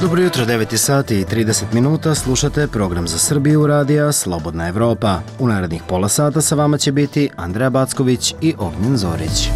Dobro jutro, 9 sati i 30 minuta, slušate program za Srbiju radija Slobodna Evropa. U narednih pola sata sa vama će biti Andreja Backović i Ognjen Zorić.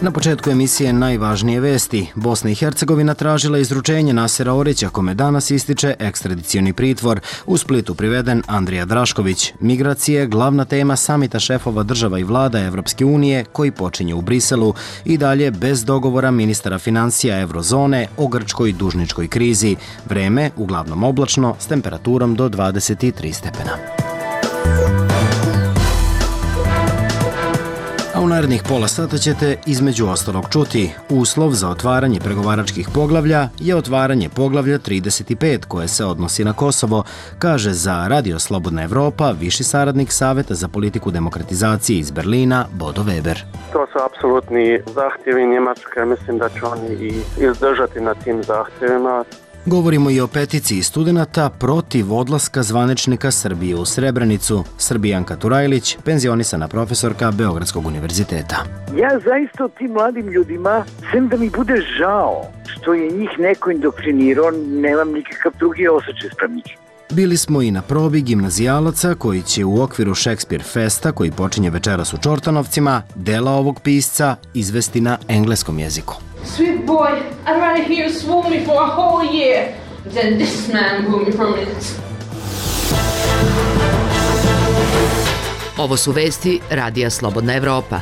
Na početku emisije najvažnije vesti. Bosna i Hercegovina tražila izručenje Nasera Orića, kome danas ističe ekstradicioni pritvor. U Splitu priveden Andrija Drašković. Migracije, glavna tema samita šefova država i vlada Evropske unije koji počinje u Briselu. I dalje bez dogovora ministara financija Eurozone o grčkoj dužničkoj krizi. Vreme uglavnom oblačno s temperaturom do 23 stepena. A u narednih pola sata ćete između ostalog čuti: uslov za otvaranje pregovaračkih poglavlja je otvaranje poglavlja 35 koje se odnosi na Kosovo, kaže za Radio Slobodna Evropa viši saradnik Saveta za politiku demokratizacije iz Berlina Bodo Weber. To su apsolutni zahtjevi Njemačke, mislim da će oni i izdržati na tim zahtjevima. Govorimo i o peticiji studenata protiv odlaska zvaničnika Srbije u Srebrenicu. Srbijanka Turajlić, penzionisana profesorka Beogradskog univerziteta. Ja zaista tim mladim ljudima, sem da mi bude žao što je njih neko indokrinirao, nemam nikakav drugi osjećaj sprem njih. Bili smo i na probi gimnazijalaca koji će u okviru Shakespeare Festa, koji počinje večeras u Čortanovcima, dela ovog pisca izvesti na engleskom jeziku. Sweet boy, I'd rather hear you swoon me for a whole year than this man woo me for minutes. Ovo su vesti Radija Slobodna Evropa.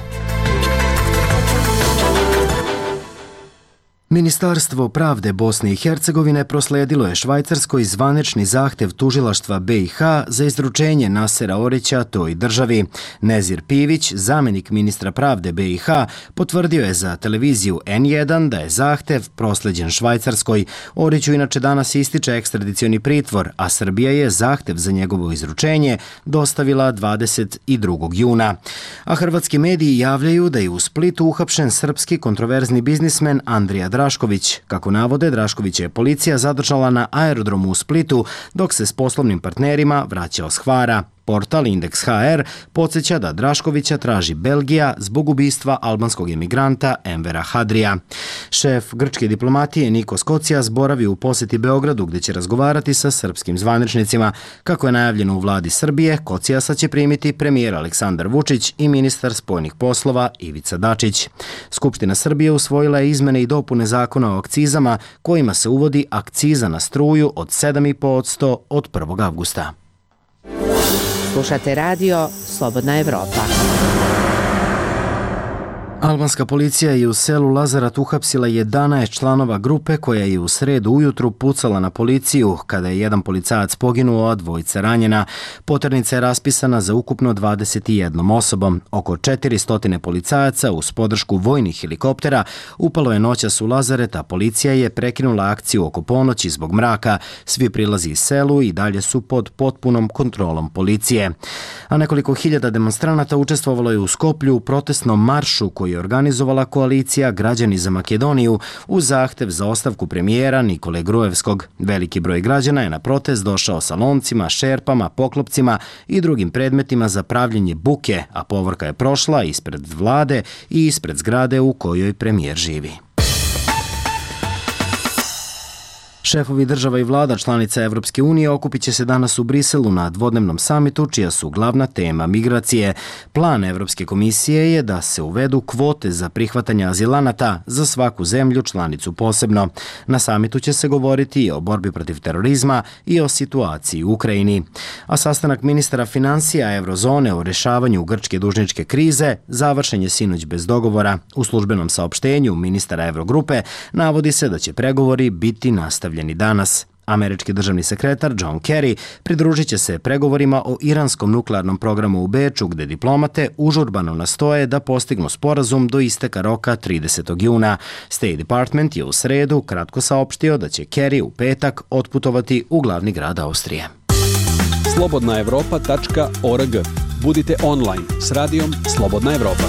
Ministarstvo pravde Bosne i Hercegovine prosledilo je Švajcarskoj zvanični zahtev tužilaštva BiH za izručenje Nasera Orića toj državi. Nezir Pivić, zamjenik ministra pravde BiH, potvrdio je za televiziju N1 da je zahtev prosleđen Švajcarskoj. Oriću inače danas ističe ekstradicioni pritvor, a Srbija je zahtev za njegovo izručenje dostavila 22. juna. A hrvatski mediji javljaju da je u Splitu uhapšen srpski kontroverzni biznismen Andrija Drašković. Kako navode, Draškovića je policija zadržala na aerodromu u Splitu dok se s poslovnim partnerima vraćao s Hvara. Portal Indeks HR podsjeća da Draškovića traži Belgija zbog ubistva albanskog emigranta Envera Hadrija. Šef grčke diplomatije Nikos Kocijas boravi u posjeti Beogradu gdje će razgovarati sa srpskim zvaničnicima. Kako je najavljeno u vladi Srbije, Kocijasa će primiti premijer Aleksandar Vučić i ministar spoljnih poslova Ivica Dačić. Skupština Srbije usvojila je izmene i dopune zakona o akcizama kojima se uvodi akciza na struju od 7,5% od 1. avgusta. Slušate radio Slobodna Evropa. Albanska policija je u selu Lazarat uhapsila 11 članova grupe koja je u sredu ujutru pucala na policiju kada je jedan policajac poginuo, a dvojica ranjena. Poternica je raspisana za ukupno 21 osobom. Oko 400 policajaca uz podršku vojnih helikoptera upalo je noćas u Lazaret, a policija je prekinula akciju oko ponoći zbog mraka. Svi prilazi iz selu i dalje su pod potpunom kontrolom policije. A nekoliko hiljada demonstranata učestvovalo je u Skoplju u protestnom maršu koji je organizovala koalicija Građani za Makedoniju uz zahtev za ostavku premijera Nikole Gruevskog. Veliki broj građana je na protest došao sa loncima, šerpama, poklopcima i drugim predmetima za pravljenje buke, a povorka je prošla ispred vlade i ispred zgrade u kojoj premijer živi. Šefovi država i vlada članica Evropske unije okupit će se danas u Briselu na dvodnevnom samitu čija su glavna tema migracije. Plan Evropske komisije je da se uvedu kvote za prihvatanje azilanata za svaku zemlju članicu posebno. Na samitu će se govoriti i o borbi protiv terorizma i o situaciji u Ukrajini. A sastanak ministara financija Eurozone o rješavanju grčke dužničke krize završen je sinoć bez dogovora. U službenom saopštenju ministara Eurogrupe navodi se da će pregovori biti nastavljeni danas. Američki državni sekretar John Kerry pridružit će se pregovorima o iranskom nuklearnom programu u Beču, gde diplomate užurbano nastoje da postignu sporazum do isteka roka 30. juna. State Department je u sredu kratko saopštio da će Kerry u petak otputovati u glavni grad Austrije. slobodnaevropa.org. Budite online s radijom Slobodna Evropa.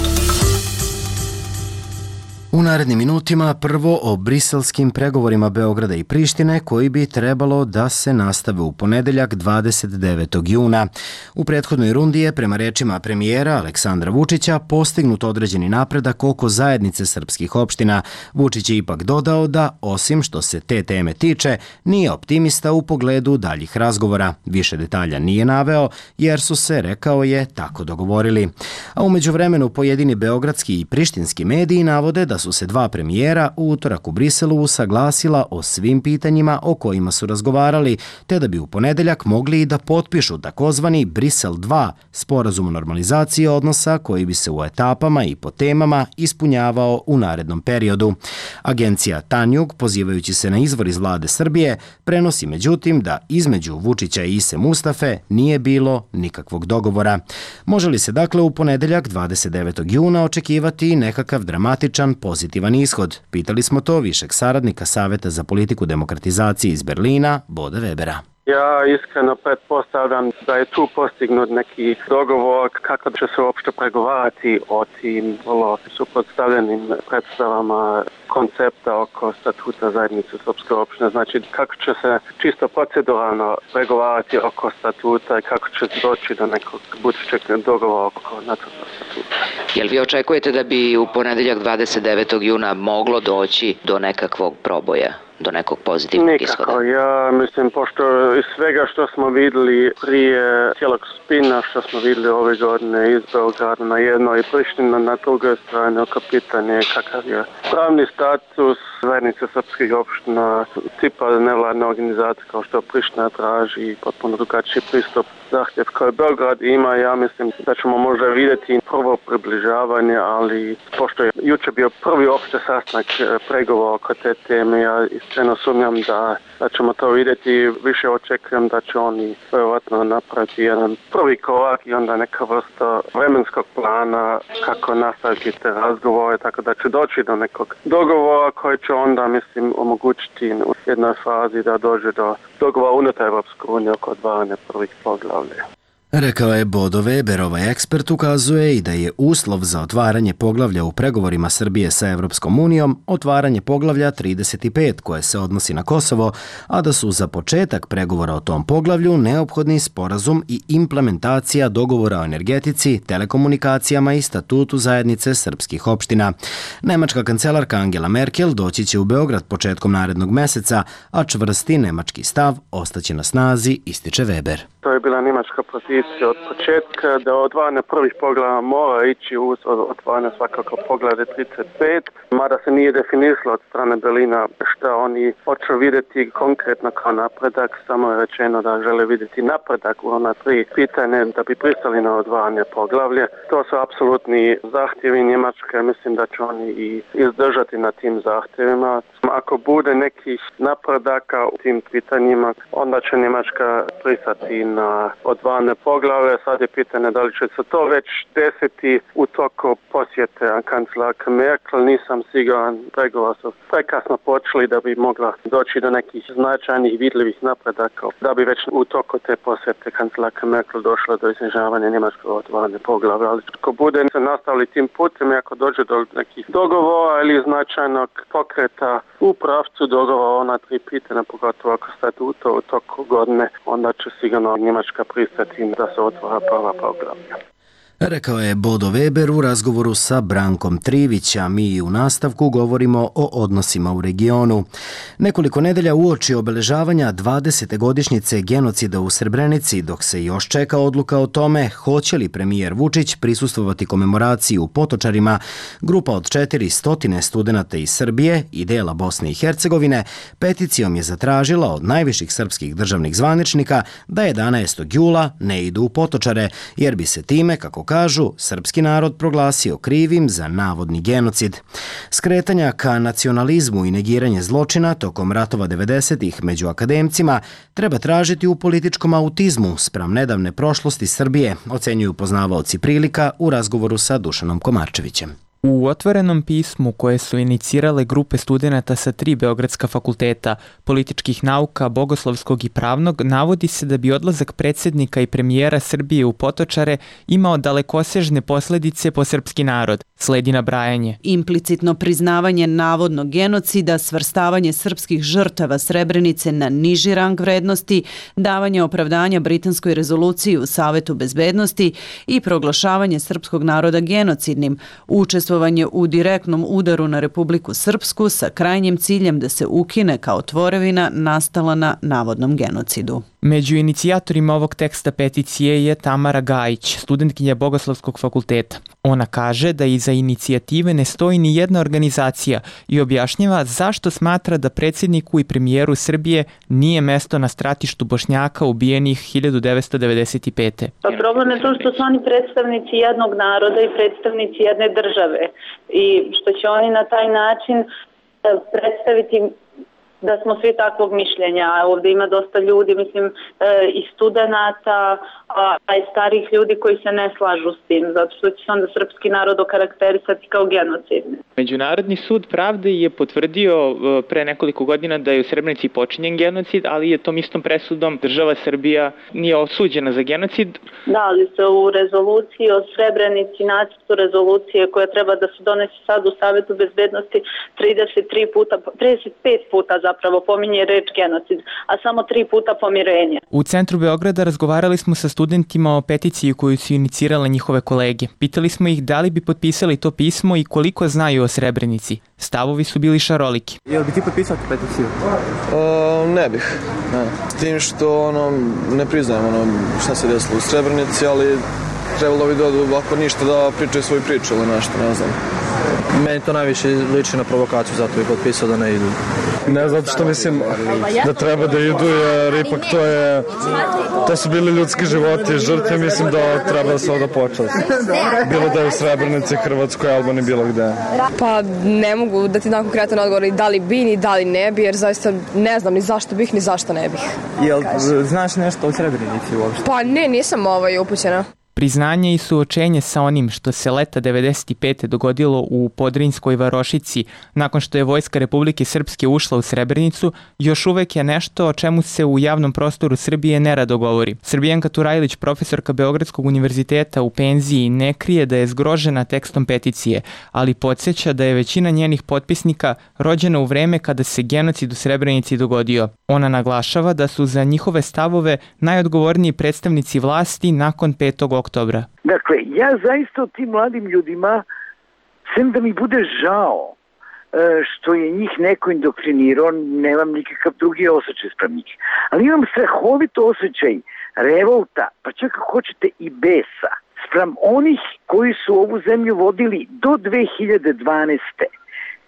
U narednim minutima prvo o briselskim pregovorima Beograda i Prištine koji bi trebalo da se nastave u ponedeljak 29. juna. U prethodnoj rundi je, prema rečima premijera Aleksandra Vučića, postignut određeni napredak oko zajednice srpskih opština. Vučić je ipak dodao da, osim što se te teme tiče, nije optimista u pogledu daljih razgovora. Više detalja nije naveo jer su se, rekao je, tako dogovorili. A u međuvremenu pojedini beogradski i prištinski mediji navode da su se dva premijera u utorak u Briselu usaglasila o svim pitanjima o kojima su razgovarali, te da bi u ponedeljak mogli i da potpišu takozvani Brisel 2, sporazum o normalizaciji odnosa koji bi se u etapama i po temama ispunjavao u narednom periodu. Agencija Tanjug, pozivajući se na izvor iz vlade Srbije, prenosi međutim da između Vučića i Ise Mustafe nije bilo nikakvog dogovora. Može li se dakle u ponedeljak 29. juna očekivati nekakav dramatičan pozitivan ishod? Pitali smo to višeg saradnika Saveta za politiku demokratizacije iz Berlina, Boda Webera. Ja iskreno pretpostavljam da je tu postignut neki dogovor kako će se uopšte pregovarati o tim vrlo suprotstavljenim predstavama koncepta oko statuta zajednice srpske opštine. Znači kako će se čisto proceduralno pregovarati oko statuta i kako će doći do nekog budućeg dogovora oko nacrta statuta. Jel vi očekujete da bi u ponedeljak 29. juna moglo doći do nekakvog proboja? Do nekog pozitivnog ishoda? Nikako. Ja mislim, pošto iz svega što smo vidjeli prije cijelog spina, što smo vidjeli ove godine iz Beograda na jednoj i Priština na drugoj strani, oko pitanje kakav je pravni status zajednice srpskih opština, tipa nevladne organizacije kao što Priština traži, potpuno drugačiji pristup zahtjev koji Beograd ima. Ja mislim da ćemo možda vidjeti prvo približavanje, ali pošto je jučer bio prvi opšte sastanak pregovora oko te teme, ja iskreno sumnjam da ćemo to vidjeti. Više očekujem da će oni vjerojatno napraviti jedan prvi korak i onda neka vrsta vremenskog plana kako nastaviti te razgovore, tako da će doći do nekog dogovora koji će onda, mislim, omogućiti u jednoj fazi da dođe do dogovora unutar Evropske unije oko otvaranja prvih poglavlja. Rekao je Bodo Weber. Ovaj ekspert ukazuje i da je uslov za otvaranje poglavlja u pregovorima Srbije sa Evropskom unijom otvaranje poglavlja 35 koje se odnosi na Kosovo, a da su za početak pregovora o tom poglavlju neophodni sporazum i implementacija dogovora o energetici, telekomunikacijama i statutu zajednice srpskih opština. Nemačka kancelarka Angela Merkel doći će u Beograd početkom narednog meseca, a čvrsti nemački stav ostaće na snazi, ističe Weber. To je bila nemačka pozicija od početka da otvaranje prvih poglavlja mora ići uz otvaranje svakako poglavlja 35, mada se nije definisalo od strane Berlina šta oni hoće vidjeti konkretno kao napredak, samo je rečeno da žele vidjeti napredak u ona tri pitanje da bi pristali na otvaranje poglavlja. To su apsolutni zahtjevi Njemačke, mislim da će oni i izdržati na tim zahtjevima. Ako bude nekih napredaka u tim pitanjima, onda će Njemačka pristati na otvaranje poglavlja. Sad je pitanje da li će se to već desiti u toku posjete kancelarke Merkel. Nisam siguran, pregovori su prekasno počeli da bi mogla doći do nekih značajnih vidljivih napredaka, da bi već u toku te posjete kancelarke Merkel došla do iznižavanja njemačkog otvaranja poglavlja. Ali ako bude se nastavili tim putem i ako dođe do nekih dogovora ili značajnog pokreta u pravcu dogovora ona tri pitanja, pogotovo oko statuta u toku godine, onda će sigurno Njemačka pristati da se otvara prva poglavlja. Rekao je Bodo Weber u razgovoru sa Brankom Trivića. Mi u nastavku govorimo o odnosima u regionu. Nekoliko nedelja uoči obeležavanja 20. godišnjice genocida u Srebrenici, dok se još čeka odluka o tome hoće li premijer Vučić prisustvovati komemoraciji u Potočarima, grupa od 400 studenata iz Srbije i dela Bosne i Hercegovine peticijom je zatražila od najviših srpskih državnih zvaničnika da 11. jula ne idu u Potočare, jer bi se time, kako kažu, srpski narod proglasio krivim za navodni genocid. Skretanja ka nacionalizmu i negiranje zločina tokom ratova 90-ih među akademcima treba tražiti u političkom autizmu spram nedavne prošlosti Srbije, ocenjuju poznavaoci prilika u razgovoru sa Dušanom Komarčevićem. U otvorenom pismu koje su inicirale grupe studenata sa 3 beogradska fakulteta, političkih nauka, bogoslovskog i pravnog, navodi se da bi odlazak predsjednika i premijera Srbije u Potočare imao dalekosežne posledice po srpski narod. Sledi nabrajanje. Implicitno priznavanje navodnog genocida, svrstavanje srpskih žrtava Srebrenice na niži rang vrednosti, davanje opravdanja britanskoj rezoluciji u Savetu bezbednosti i proglašavanje srpskog naroda genocidnim, učestvovanje u direktnom udaru na Republiku Srpsku sa krajnjim ciljem da se ukine kao tvorevina nastala na navodnom genocidu. Među inicijatorima ovog teksta peticije je Tamara Gajić, studentkinja Bogoslovskog fakulteta. Ona kaže da iza inicijative ne stoji ni jedna organizacija i objašnjava zašto smatra da predsjedniku i premijeru Srbije nije mesto na stratištu Bošnjaka ubijenih 1995. Pa problem je to što su oni predstavnici jednog naroda i predstavnici jedne države i što će oni na taj način predstaviti da smo svi takvog mišljenja. Ovdje ima dosta ljudi, mislim, i studenata, a i starih ljudi koji se ne slažu s tim, zato što će se onda srpski narod okarakterisati kao genocidni. Međunarodni sud pravde je potvrdio pre nekoliko godina da je u Srebrenici počinjen genocid, ali je tom istom presudom država Srbija nije osuđena za genocid. Da, ali se u rezoluciji o Srebrenici, nacrtu rezolucije koja treba da se donese sad u Savetu bezbednosti 35 puta zapravo pominje reč genocid, a samo 3 puta pomirenje. U centru Beograda razgovarali smo sa studentima o peticiji koju su inicirale njihove kolege. Pitali smo ih da li bi potpisali to pismo i koliko znaju o Srebrenici. Stavovi su bili šaroliki. Jel bi ti potpisao tu peticiju? Ne bih. Ne. S tim što ne priznajem šta se desilo u Srebrenici, ali trebalo bi ako ništa da pričaju svoju priču ili nešto, ne znam. Meni to najviše liči na provokaciju, zato bih potpisao da ne idu. Ne, zato što mislim da treba da idu, jer ipak to su bili ljudski životi, žrtve, mislim da treba da se ovdje počeli. Bilo da je u Srebrenici, Hrvatskoj, Albaniji, bilo gde. Pa ne mogu da ti dam konkretan odgovor da li bi ni da li ne bi, jer zaista ne znam ni zašto bih ni zašto ne bih. Jel znaš nešto o Srebrenici uopšte? Pa ne, nisam upućena. Priznanje i suočenje sa onim što se leta 1995. dogodilo u Podrinjskoj varošici nakon što je Vojska Republike Srpske ušla u Srebrenicu još uvek je nešto o čemu se u javnom prostoru Srbije nerado govori. Srbijanka Turajlić, profesorka Beogradskog univerziteta u penziji, ne krije da je zgrožena tekstom peticije, ali podsjeća da je većina njenih potpisnika rođena u vreme kada se genocid u Srebrenici dogodio. Ona naglašava da su za njihove stavove najodgovorniji predstavnici vlasti nakon 5. oktobra. Dakle, ja zaista o tim mladim ljudima, sem da mi bude žao što je njih neko indoktrinirao, nemam nikakav drugi osjećaj sprem njih. Ali imam strahovito osjećaj revolta, pa čak ako hoćete i besa, sprem onih koji su ovu zemlju vodili do 2012.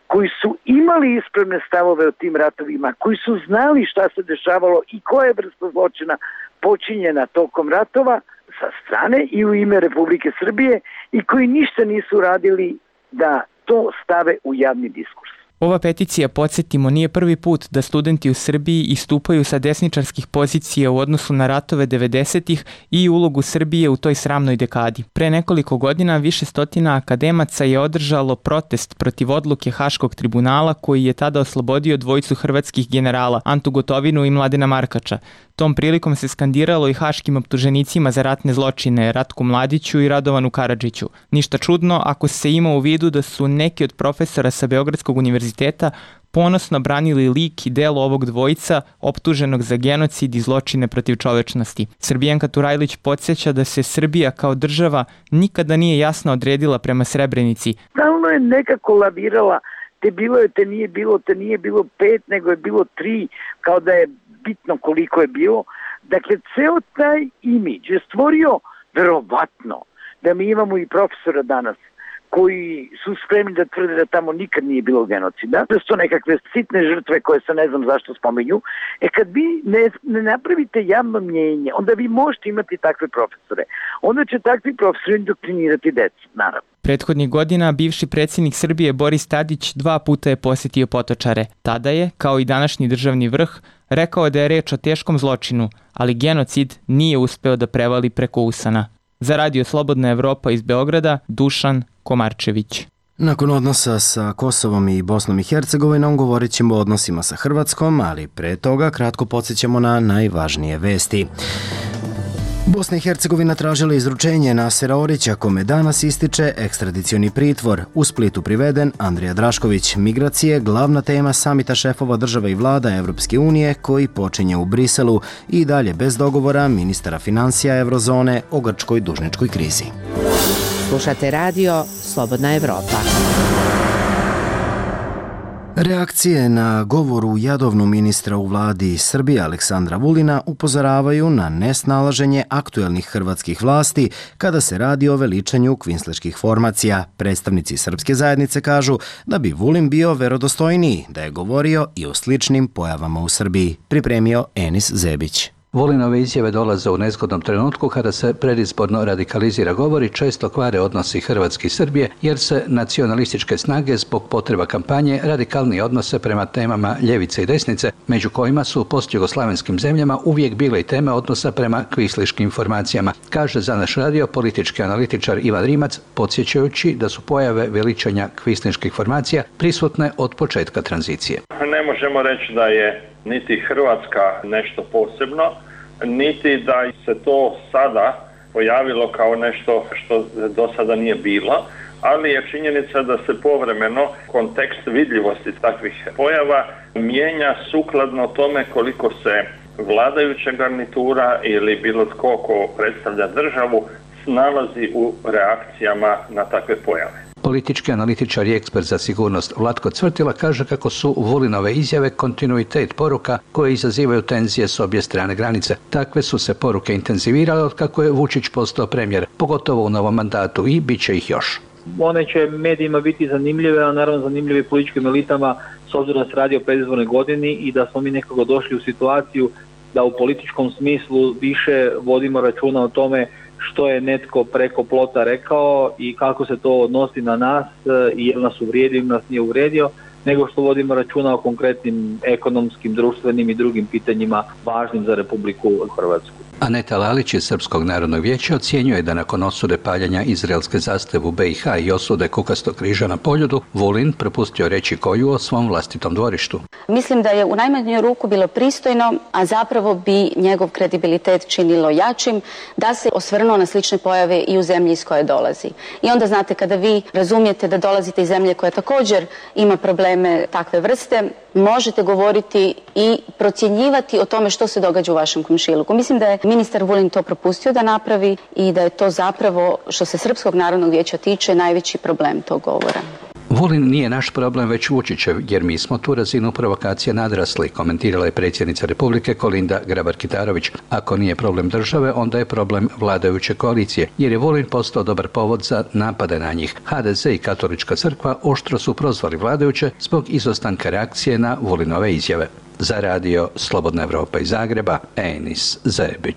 koji su imali ispravne stavove o tim ratovima, koji su znali šta se dešavalo i koja je vrsta zločina počinjena tokom ratova sa strane i u ime Republike Srbije i koji ništa nisu radili da to stave u javni diskurs. Ova peticija, podsjetimo, nije prvi put da studenti u Srbiji istupaju sa desničarskih pozicija u odnosu na ratove 90-ih i ulogu Srbije u toj sramnoj dekadi. Pre nekoliko godina više stotina akademaca je održalo protest protiv odluke Haškog tribunala koji je tada oslobodio dvojicu hrvatskih generala, Antu Gotovinu i Mladena Markača. Tom prilikom se skandiralo i haškim optuženicima za ratne zločine Ratku Mladiću i Radovanu Karadžiću. Ništa čudno ako se ima u vidu da su neki od profesora sa Beogradskog univerziteta ponosno branili lik i delo ovog dvojica optuženog za genocid i zločine protiv čovečnosti. Srbijanka Turajlić podsjeća da se Srbija kao država nikada nije jasno odredila prema Srebrenici. Stalno je nekako lavirala, te bilo je, te nije bilo 5, nego je bilo 3, kao da je bitno koliko je bilo. Dakle, ceo taj imidž je stvorio verovatno da mi imamo i profesora danas koji su spremni da tvrde da tamo nikad nije bilo genocida, da su to nekakve sitne žrtve koje se ne znam zašto spominju. Kad vi ne napravite javno mnjenje, onda vi možete imati takve profesore. Onda će takvi profesori indoktrinirati decu, naravno. Prethodnih godina bivši predsjednik Srbije Boris Tadić 2 puta je posjetio Potočare. Tada je, kao i današnji državni vrh, rekao da je reč o teškom zločinu, ali genocid nije uspeo da prevali preko usana. Za Radio Slobodna Evropa iz Beograda, Dušan Komarčević. Nakon odnosa sa Kosovom i Bosnom i Hercegovinom govorit ćemo o odnosima sa Hrvatskom, ali pre toga kratko podsjećamo na najvažnije vesti. Bosna i Hercegovina tražila izručenje Nasera Orića, kome danas ističe ekstradicioni pritvor. U Splitu priveden Andrija Drašković. Migracije, glavna tema samita šefova država i vlada Evropske unije koji počinje u Briselu i dalje bez dogovora ministara financija Evrozone o grčkoj dužničkoj krizi. Slušate radio Slobodna Evropa. Reakcije na govoru jadovnu ministra u vladi Srbije Aleksandra Vulina upozoravaju na nesnalaženje aktuelnih hrvatskih vlasti kada se radi o veličanju kvinsleških formacija. Predstavnici srpske zajednice kažu da bi Vulin bio verodostojniji da je govorio i o sličnim pojavama u Srbiji, pripremio Enis Zebić. Vulinove izjave dolaze u nezgodnom trenutku kada se predizborno radikalizira govor i često kvare odnosi Hrvatske i Srbije, jer se nacionalističke snage zbog potreba kampanje radikalnije odnose prema temama ljevice i desnice, među kojima su u postjugoslavenskim zemljama uvijek bile i teme odnosa prema kvisliškim formacijama, kaže za naš radio politički analitičar Ivan Rimac, podsjećajući da su pojave veličanja kvisliških formacija prisutne od početka tranzicije. Ne možemo reći da je niti Hrvatska nešto posebno, niti da se to sada pojavilo kao nešto što do sada nije bilo, ali je činjenica da se povremeno kontekst vidljivosti takvih pojava mijenja sukladno tome koliko se vladajuća garnitura ili bilo tko ko predstavlja državu nalazi u reakcijama na takve pojave. Politički analitičar i ekspert za sigurnost Vlatko Cvrtila kaže kako su Vulinove izjave kontinuitet poruka koje izazivaju tenzije s obje strane granice. Takve su se poruke intenzivirale od kako je Vučić postao premijer, pogotovo u novom mandatu, i bit će ih još. One će medijima biti zanimljive, a naravno zanimljive političkim elitama s obzirom da se radi o predizbornoj godini i da smo mi nekako došli u situaciju da u političkom smislu više vodimo računa o tome što je netko preko plota rekao i kako se to odnosi na nas i jel nas uvrijedio ili nas nije uvrijedio, nego što vodimo računa o konkretnim ekonomskim, društvenim i drugim pitanjima važnim za Republiku Hrvatsku. Aneta Lalić iz Srpskog narodnog vijeća ocjenjuje da nakon osude paljenja izraelske zastave u BiH i osude Kukastog križa na Poljudu, Vulin propustio reći koju o svom vlastitom dvorištu. Mislim da je u najmanju ruku bilo pristojno, a zapravo bi njegov kredibilitet činilo jačim da se osvrnuo na slične pojave i u zemlji iz koje dolazi. I onda znate, kada vi razumijete da dolazite iz zemlje koja također ima probleme takve vrste, možete govoriti i procjenjivati o tome što se događa u vašem komšiluku. Mislim da je ministar Vulin to propustio da napravi i da je to zapravo, što se Srpskog narodnog vijeća tiče, najveći problem tog govora. Vulin nije naš problem, već Vučićev, jer mi smo tu razinu provokacije nadrasli, komentirala je predsjednica Republike Kolinda Grabar-Kitarović. Ako nije problem države, onda je problem vladajuće koalicije, jer je Vulin postao dobar povod za napade na njih. HDZ i Katolička crkva oštro su prozvali vladajuće zbog izostanka reakcije na Vulinove izjave. Za radio Slobodna Evropa iz Zagreba, Enis Zebić.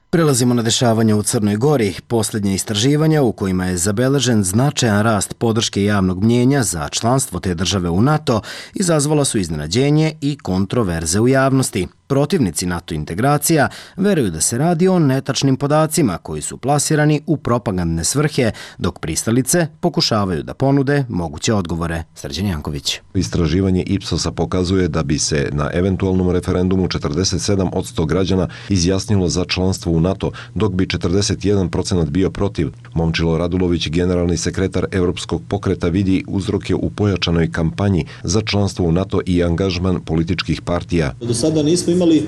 Prelazimo na dešavanja u Crnoj Gori. Posljednje istraživanja u kojima je zabeležen značajan rast podrške javnog mnjenja za članstvo te države u NATO izazvala su iznenađenje i kontroverze u javnosti. Protivnici NATO integracija veruju da se radi o netačnim podacima koji su plasirani u propagandne svrhe, dok pristalice pokušavaju da ponude moguće odgovore. Srđan Janković. Istraživanje Ipsosa pokazuje da bi se na eventualnom referendumu 47% građana izjasnilo za članstvo u NATO, dok bi 41% bio protiv. Momčilo Radulović, generalni sekretar Europskog pokreta, vidi uzroke u pojačanoj kampanji za članstvo u NATO i angažman političkih partija. Do sada nismo imali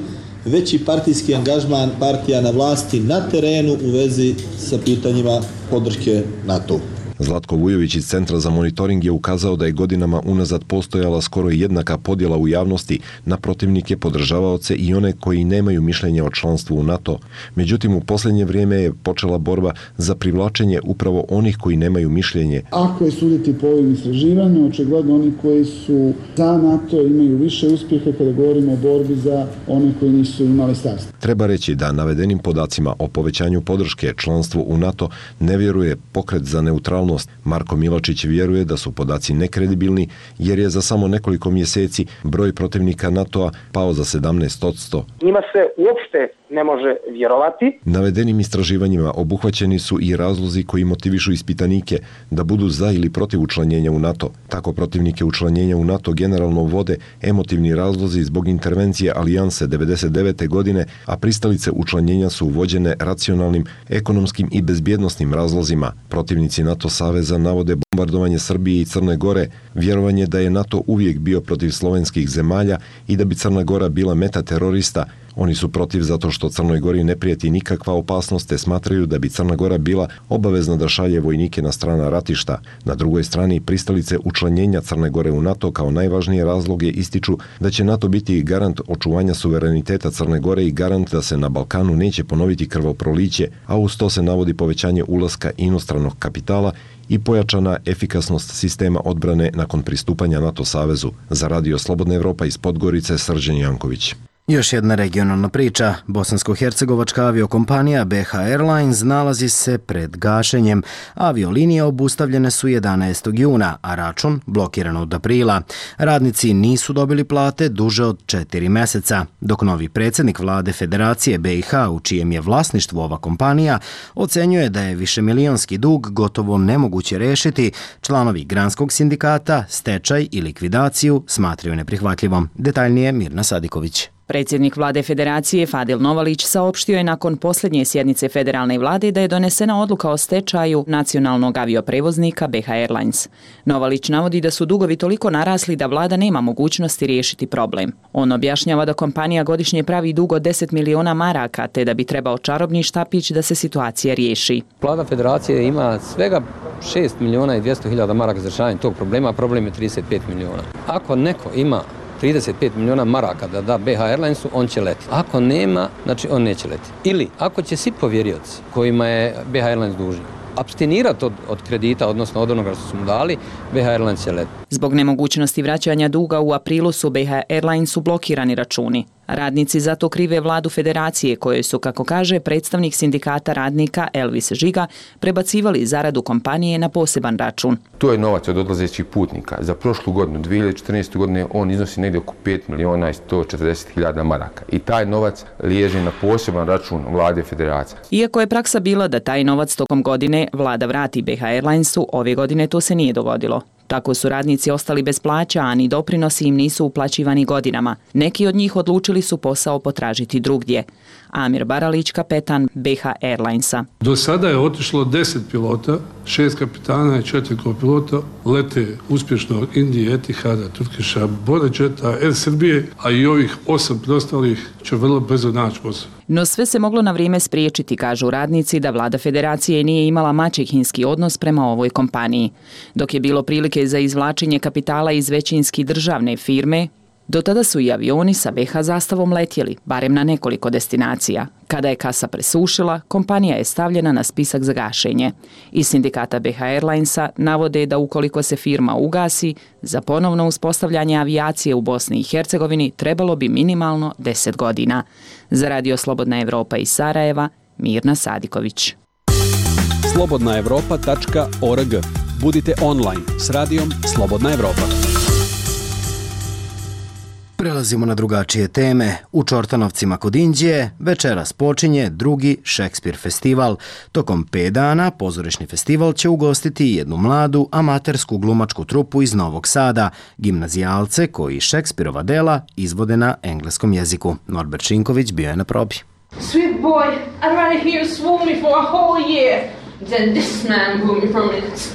veći partijski angažman partija na vlasti na terenu u vezi sa pitanjima podrške NATO. Zlatko Vujović iz Centra za monitoring je ukazao da je godinama unazad postojala skoro jednaka podjela u javnosti na protivnike, podržavaoce i one koji nemaju mišljenje o članstvu u NATO. Međutim, u posljednje vrijeme je počela borba za privlačenje upravo onih koji nemaju mišljenje. Ako je suditi po ovim istraživanju, očigledno oni koji su za NATO imaju više uspjeha kada govorimo o borbi za one koji nisu imali stav. Treba reći da navedenim podacima o povećanju podrške članstvu u NATO ne vjeruje Pokret za neutralnost. Marko Miločić vjeruje da su podaci nekredibilni jer je za samo nekoliko mjeseci broj protivnika NATO-a pao za 17%. Njima se uopšte ne može vjerovati. Navedenim istraživanjima obuhvaćeni su i razlozi koji motivišu ispitanike da budu za ili protiv učlanjenja u NATO. Tako protivnike učlanjenja u NATO generalno vode emotivni razlozi zbog intervencije Alijanse 99. godine, a pristalice učlanjenja su vođene racionalnim, ekonomskim i bezbjednosnim razlozima. Protivnici NATO saveza navode bombardovanje Srbije i Crne Gore, vjerovanje da je NATO uvijek bio protiv slovenskih zemalja i da bi Crna Gora bila meta terorista. Oni su protiv zato što Crnoj Gori ne prijeti nikakva opasnost, te smatraju da bi Crna Gora bila obavezna da šalje vojnike na strana ratišta. Na drugoj strani, pristalice učlanjenja Crne Gore u NATO kao najvažnije razloge ističu da će NATO biti garant očuvanja suvereniteta Crne Gore i garant da se na Balkanu neće ponoviti krvoproliće, a uz to se navodi povećanje ulaska inostranog kapitala i pojačana efikasnost sistema odbrane nakon pristupanja NATO savezu. Za Radio Slobodna Evropa iz Podgorice, Srđan Janković. Još jedna regionalna priča. Bosansko-hercegovačka aviokompanija BH Airlines nalazi se pred gašenjem. Aviolinije obustavljene su 11. juna, a račun blokiran od aprila. Radnici nisu dobili plate duže od 4 meseca, dok novi predsjednik vlade Federacije BiH, u čijem je vlasništvu ova kompanija, ocenjuje da je višemilijonski dug gotovo nemoguće rešiti. Članovi granskog sindikata stečaj i likvidaciju smatraju neprihvatljivom. Detaljnije Mirna Sadiković. Predsjednik vlade Federacije Fadil Novalić saopštio je nakon posljednje sjednice federalne vlade da je donesena odluka o stečaju nacionalnog avioprevoznika BH Airlines. Novalić navodi da su dugovi toliko narasli da vlada nema mogućnosti riješiti problem. On objašnjava da kompanija godišnje pravi dug od 10 miliona maraka, te da bi trebao čarobni štapić da se situacija riješi. Vlada Federacije ima svega 6 miliona i 200 hiljada maraka za rješavanje tog problema, a problem je 35 miliona. Ako neko ima 35 miliona maraka da da BH Airlinesu, on će leti. Ako nema, znači on neće leti. Ili ako će svi povjerioci kojima je BH Airlines dužan apstinirati od kredita, odnosno od onoga što su mu dali, BH Airlines će leti. Zbog nemogućnosti vraćanja duga u aprilu su BH Airlinesu blokirani računi. Radnici zato krive vladu Federacije, koje su, kako kaže predstavnik sindikata radnika Elvis Žiga, prebacivali zaradu kompanije na poseban račun. To je novac od odlazećih putnika. Za prošlu godinu, 2014. godine, on iznosi negdje oko 5 miliona i 140 hiljada maraka. I taj novac liježe na poseban račun vlade Federacije. Iako je praksa bila da taj novac tokom godine vlada vrati BH Airlinesu, ove godine to se nije dogodilo. Tako su radnici ostali bez plaća, a ni doprinosi im nisu uplaćivani godinama. Neki od njih odlučili su posao potražiti drugdje. Amir Baralić, kapetan BH Airlinesa. Do sada je otišlo 10 pilota, 6 kapitana i 4 kopilota, lete uspješno Indije, Etihada, Turkiša, Borečeta, Air Srbije, a i ovih 8 preostalih će vrlo brzo naći posao. No sve se moglo na vrijeme spriječiti, kažu radnici, da vlada Federacije nije imala maćehinski odnos prema ovoj kompaniji. Dok je bilo prilike za izvlačenje kapitala iz većinski državne firme, do tada su i avioni sa BH zastavom letjeli, barem na nekoliko destinacija. Kada je kasa presušila, kompanija je stavljena na spisak za gašenje. Iz sindikata BH Airlinesa navode da ukoliko se firma ugasi, za ponovno uspostavljanje avijacije u Bosni i Hercegovini trebalo bi minimalno 10 godina. Za Radio Slobodna Evropa iz Sarajeva, Mirna Sadiković. slobodnaevropa.org. Budite online s radijom Slobodna Evropa. Prelazimo na drugačije teme. U Čortanovcima kod Inđije večeras počinje drugi Šekspir festival. Tokom 5 dana pozorišni festival će ugostiti jednu mladu amatersku glumačku trupu iz Novog Sada, gimnazijalce koji Šekspirova dela izvode na engleskom jeziku. Norbert Šinković bio je na probi. Sweet boy, I'd rather hear you swoon me for a whole year than this man woo me for minutes.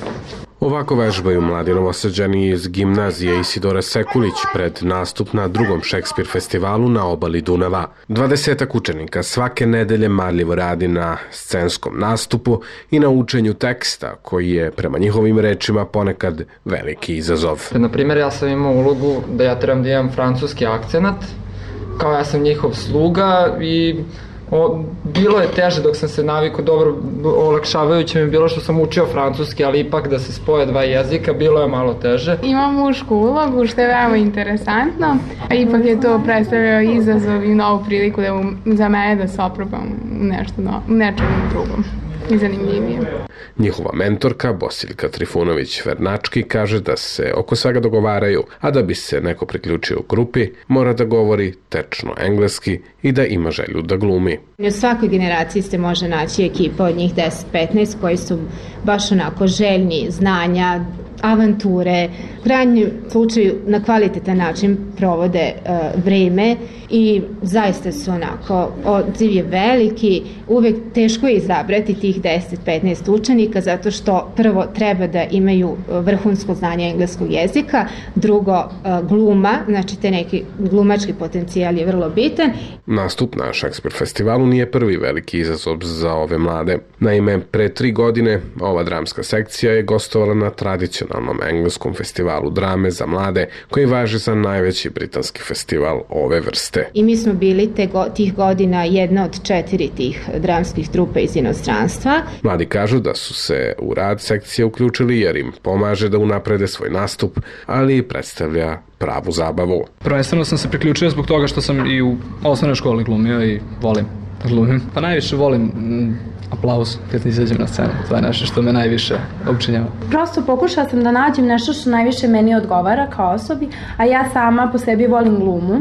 Ovako vežbaju mladi Novosađani iz gimnazije Isidora Sekulić pred nastup na drugom Šekspir festivalu na obali Dunava. 20 učenika svake nedelje marljivo radi na scenskom nastupu i na učenju teksta, koji je, prema njihovim rečima, ponekad veliki izazov. Na primjer, ja sam imao ulogu da ja trebam da imam francuski akcenat, kao ja sam njihov sluga i bilo je teže dok sam se navikao, dobro, olakšavajuće mi je bilo što sam učio francuski, ali ipak da se spoje dva jezika, bilo je malo teže. Imam mušku ulogu, što je veoma interesantno, a ipak je to predstavljao izazov i novu priliku za mene da se oprobam u nečem drugom. i zanimljivije. Njihova mentorka Bosiljka Trifunović-Vernački kaže da se oko svega dogovaraju, a da bi se neko priključio u grupi, mora da govori tečno engleski i da ima želju da glumi. U svakoj generaciji se može naći ekipa od njih 10-15 koji su baš onako željni znanja, avanture, u krajnjem slučaju na kvalitetan način provode vreme i zaista su onako, odziv je veliki, uvek teško je izabrati tih 10-15 učenika zato što prvo treba da imaju vrhunsko znanje engleskog jezika, drugo gluma, znači te neki glumački potencijal je vrlo bitan. Nastup na Šekspir festivalu nije prvi veliki izazov za ove mlade. Naime, pre 3 godine ova dramska sekcija je gostovala na tradicionalnom engleskom festivalu drame za mlade koji važi za najveći britanski festival ove vrste. I mi smo bili tih godina jedna od 4 tih dramskih trupa iz inostranstva. Mladi kažu da su se u rad sekcije uključili jer im pomaže da unaprede svoj nastup, ali i predstavlja pravu zabavu. Prvenstveno sam se priključio zbog toga što sam i u osnovnoj školi glumio i volim da glumim. Pa najviše volim aplauz kad izađem na scenu. To je nešto što me najviše učinjava. Prosto pokušala sam da nađem nešto što najviše meni odgovara kao osobi, a ja sama po sebi volim glumu.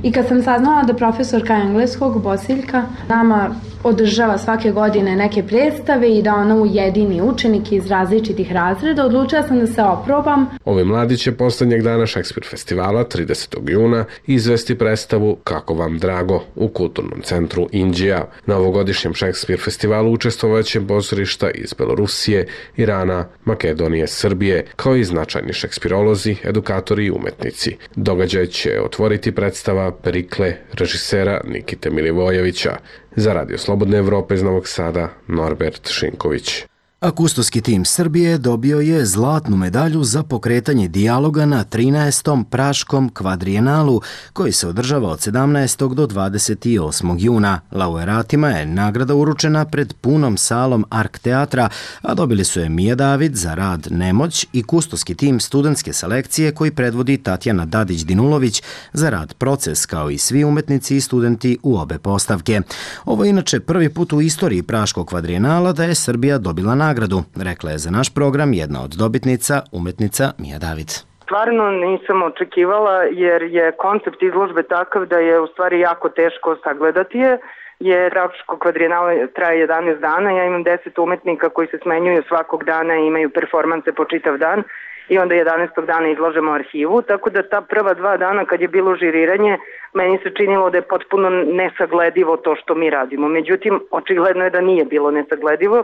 I kad sam saznala da profesorka engleskog, Bosiljka, nama održava svake godine neke predstave i da ona ujedini učenike iz različitih razreda, odlučila sam da se oprobam. Ovi mladi će poslednjeg dana Šekspir festivala, 30. juna, izvesti predstavu Kako vam drago u kulturnom centru Inđija. Na ovogodišnjem Šekspir festivalu učestvovaće pozorišta iz Belorusije, Irana, Makedonije, Srbije, kao i značajni šekspirolozi, edukatori i umetnici. Događaj će otvoriti predstava Perikle režisera Nikite Milivojevića. Za Radio Slobodne Evrope iz Novog Sada, Norbert Šinković. A kustoski tim Srbije dobio je zlatnu medalju za pokretanje dijaloga na 13. Praškom kvadrijenalu koji se održava od 17. do 28. juna. Laureatima je nagrada uručena pred punom salom Ark teatra, a dobili su je Mija David za rad Nemoć i kustoski tim studentske selekcije koji predvodi Tatjana Dadić-Dinulović za rad Proces, kao i svi umetnici i studenti u obe postavke. Ovo je inače prvi put u istoriji Praškog kvadrijenala da je Srbija dobila nagradu, rekla je za naš program jedna od dobitnica, umetnica Mija David. Stvarno nisam očekivala jer je koncept izložbe takav da je u stvari jako teško sagledati je, jer Praško kvadrijenala traje 11 dana, ja imam 10 umetnika koji se smenjuju svakog dana i imaju performanse po čitav dan i onda 11. dana izlažemo arhivu, tako da ta prva 2 dana kad je bilo žiriranje, meni se činilo da je potpuno nesagledivo to što mi radimo. Međutim, očigledno je da nije bilo nesagledivo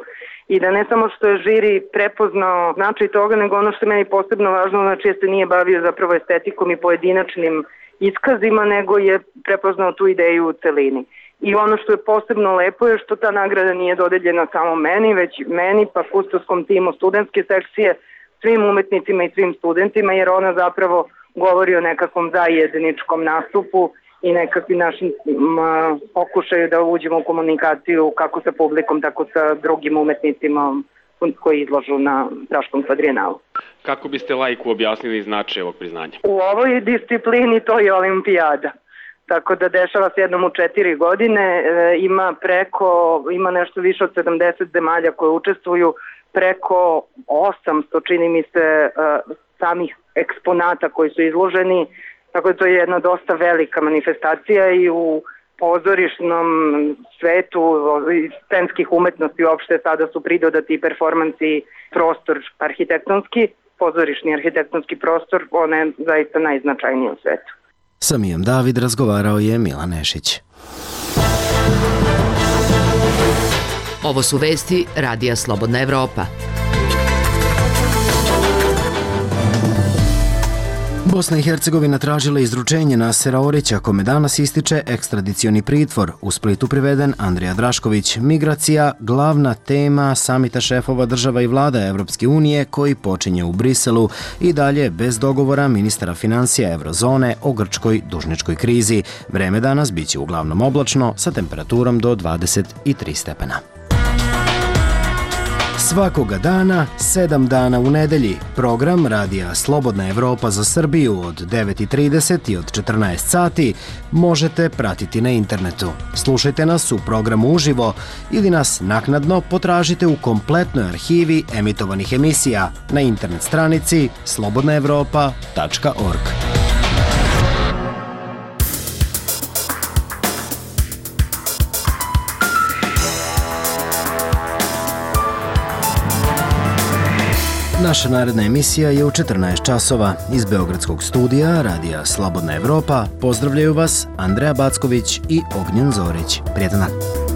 i da ne samo što je žiri prepoznao značaj toga, nego ono što je meni posebno važno, znači se nije bavio zapravo estetikom i pojedinačnim iskazima, nego je prepoznao tu ideju u celini. I ono što je posebno lepo je što ta nagrada nije dodeljena samo meni, već meni pa kustoskom timu studentske sekcije, svim umetnicima i svim studentima, jer ona zapravo govori o nekakvom zajedničkom nastupu i nekakvim našim pokušaju da uđemo u komunikaciju kako sa publikom, tako sa drugim umetnicima koji izlažu na Praškom kvadrijenalu. Kako biste laiku objasnili značaj ovog priznanja? U ovoj disciplini to je olimpijada. Tako da dešava se jednom u 4 godine, ima nešto više od 70 zemalja koje učestvuju, preko 800 čini mi se samih eksponata koji su izloženi, tako da to je jedna dosta velika manifestacija i u pozorišnom svetu scenskih umetnosti uopšte sada su pridodati performansi, prostor arhitektonski, pozorišni arhitektonski prostor, on je zaista najznačajniji u svetu. Sa Mijom David razgovarao je Milan Nešić. Ovo su vesti Radija Slobodna Evropa. Bosna i Hercegovina tražila izručenje Nasera Orića, kome danas ističe ekstradicioni pritvor. U Splitu priveden Andrija Drašković. Migracija, glavna tema samita šefova država i vlada Evropske unije koji počinje u Briselu i dalje bez dogovora ministara financija Eurozone o grčkoj dužničkoj krizi. Vreme danas biće uglavnom oblačno sa temperaturom do 23 stepena. Svakoga dana, 7 dana u nedelji, program Radija Slobodna Evropa za Srbiju od 9:30 i od 14 sati možete pratiti na internetu. Slušajte nas u programu uživo ili nas naknadno potražite u kompletnoj arhivi emitovanih emisija na internet stranici slobodnaevropa.org. Naša naredna emisija je u 14 časova. Iz Beogradskog studija Radija Slobodna Evropa pozdravljaju vas Andreja Backović i Ognjen Zorić. Prijetan dan.